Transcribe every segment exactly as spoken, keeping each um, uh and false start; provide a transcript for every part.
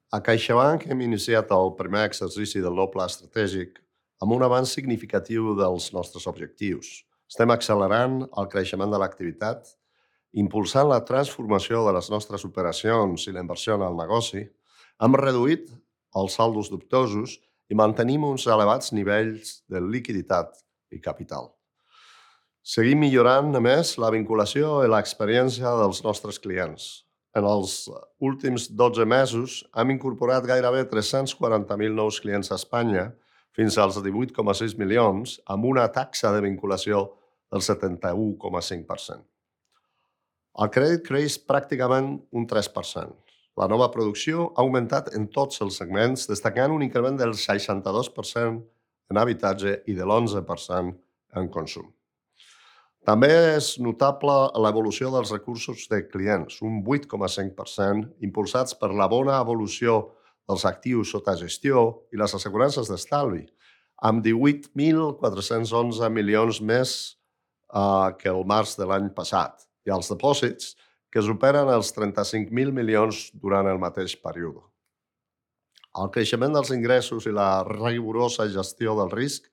A CaixaBank hem iniciat el primer exercici del nou pla estratègic amb un avanç significatiu dels nostres objectius. Estem accelerant el creixement de l'activitat, impulsant la transformació de les nostres operacions i la inversió en el negoci, hem reduït els saldos dubtosos i mantenim uns elevats nivells de liquiditat i capital. Seguim millorant, a més, la vinculació i l'experiència dels nostres clients. En els últims dotze mesos hem incorporat gairebé tres-cents quaranta mil nous clients a Espanya fins als divuit coma sis milions, amb una taxa de vinculació del setanta-u coma cinc per cent. El crèdit creix pràcticament un tres per cent. La nova producció ha augmentat en tots els segments, destacant un increment del seixanta-dos per cent en habitatge i de l'onze per cent en consum. També és notable l'evolució dels recursos de clients, un vuit coma cinc per cent, impulsats per la bona evolució dels actius sota gestió i les assegurances d'estalvi, amb divuit mil quatre-cents onze milions més eh, que el març de l'any passat, i els dipòsits, que superen els trenta-cinc mil milions durant el mateix període. El creixement dels ingressos i la rigorosa gestió del risc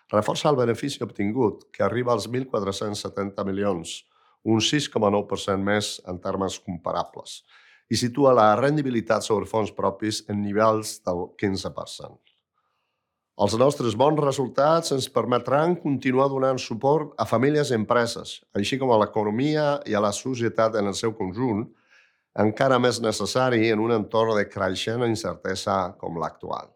reforça el benefici obtingut, que arriba als mil quatre-cents setanta milions, un sis coma nou per cent més en termes comparables, i situa la rendibilitat sobre fons propis en nivells del quinze per cent. Els nostres bons resultats ens permetran continuar donant suport a famílies i empreses, així com a l'economia i a la societat en el seu conjunt, encara més necessari en un entorn de creixent incertesa com l'actual.